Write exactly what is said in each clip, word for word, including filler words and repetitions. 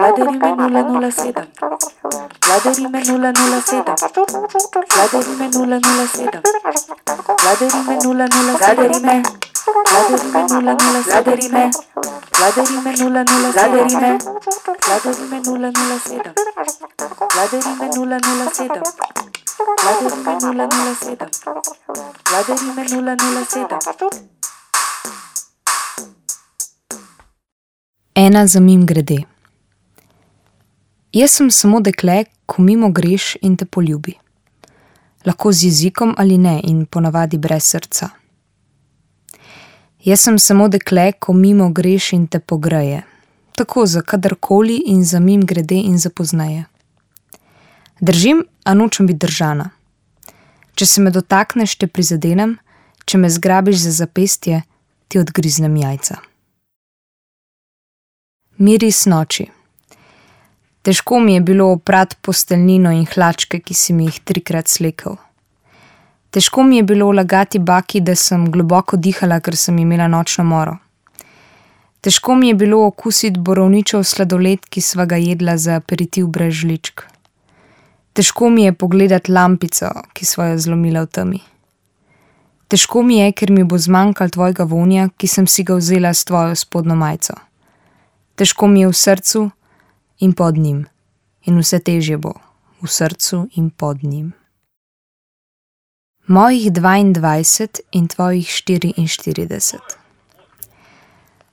Vladarime nula nula sedem. Vladarime nula nula sedem. Vladarime nula nula sedem. Vladarime nula nula Vladarime. Vladarime nula nula Vladarime. Vladarime nula nula Vladarime. Vladarime nula nula sedem. Vladarime nula nula sedem. Vladarime nula nula sedem. Vladarime nula nula sedem. Ena za mim grede. Jaz sem samo dekle, ko mimo greš in te poljubi. Lahko z jezikom ali ne in ponavadi brez srca. Jaz sem samo dekle, ko mimo greš in te pogreje. Tako za kadarkoli in za mim grede in za pozneje. Držim, a nočem biti držana. Če se me dotakneš, te prizadenem, če me zgrabiš za zapestje, ti odgriznem jajca. Miris noči. Težko mi je bilo oprat posteljnino in hlačke, ki si mi jih trikrat slekel. Težko mi je bilo lagati baki, da sem globoko dihala, ker sem imela nočno moro. Težko mi je bilo okusiti borovničev sladoled, ki sva ga jedla za aperitiv brez žličk. Težko mi je pogledati lampico, ki sva jo zlomila v temi. Težko mi je, ker mi bo zmanjkal tvojega vonja, ki sem si ga vzela s tvojo spodnjo majico. Težko mi je v srcu in pod njim. In vse težje bo v srcu in pod njim. Mojih dvaindvajset in tvojih štiriinštirideset.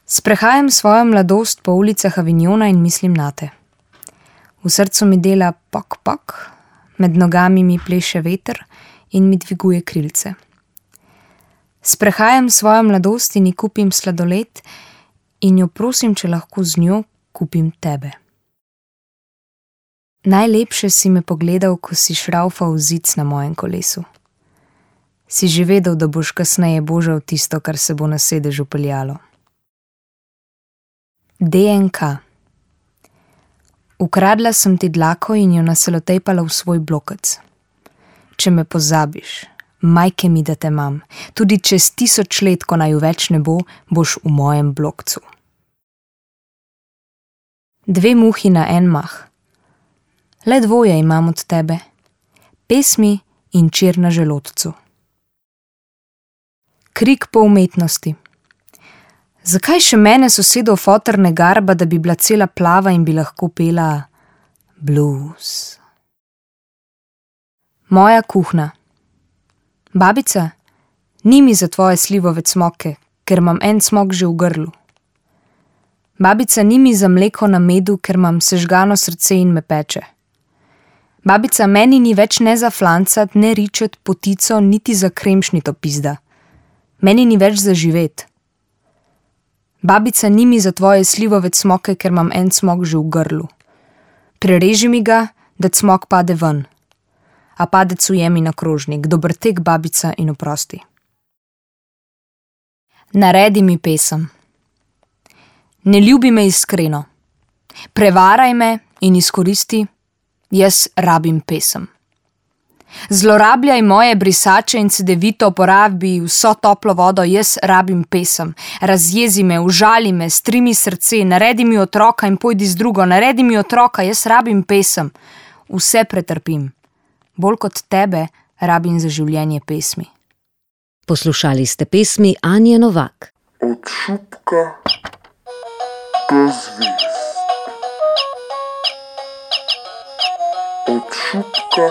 Sprehajam svojo mladost po ulicah Avignona in mislim nate. V srcu mi dela pok pok, med nogami mi pleše veter in mi dviguje krilce. Sprehajam svojo mladost in ji kupim sladoled in jo prosim, če lahko z njo kupim tebe. Najlepše si me pogledal, ko si šraufal zic na mojem kolesu. Si že vedel, da boš kasneje božal tisto, kar se bo na sedežu peljalo. D N K. Ukradla sem ti dlako in jo naselotejpala v svoj blokec. Če me pozabiš, majke mi, da te imam, tudi čez tisoč let, ko naju več ne bo, boš v mojem blokcu. Dve muhi na en mah. Le dvoje imam od tebe. Pesmi in čir na želodcu. Krik po umetnosti. Zakaj še mene sosedov foter ne garba, da bi bila cela plava in bi lahko pela blues? Moja kuhna. Babica, ni mi za tvoje slivove cmoke, ker imam en cmok že v grlu. Babica, ni mi za mleko na medu, ker imam sežgano srce in me peče. Babica, meni ni več ne za flancat, ne ričet, potico, niti za kremšnito pizda. Meni ni več za živet. Babica, ni mi za tvoje slivove cmoke, ker imam en cmok že v grlu. Prereži mi ga, da cmok pade ven. A padec ujemi na krožnik, dober tek, babica, in oprosti. Naredi mi pesem. Ne ljubi me iskreno. Prevaraj me in izkoristi, jaz rabim pesem. Zlorabljaj moje brisače in cedevito porabi vso toplo vodo, jaz rabim pesem. Razjezi me, užali me, strimi srce, naredi mi otroka in pojdi z drugo, naredi mi otroka, jaz rabim pesem. Vse pretrpim. Bolj kot tebe rabim za življenje pesmi. Poslušali ste pesmi Anje Novak. Od šupka do zvezd. Od šupka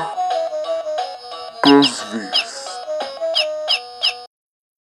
do zvezd.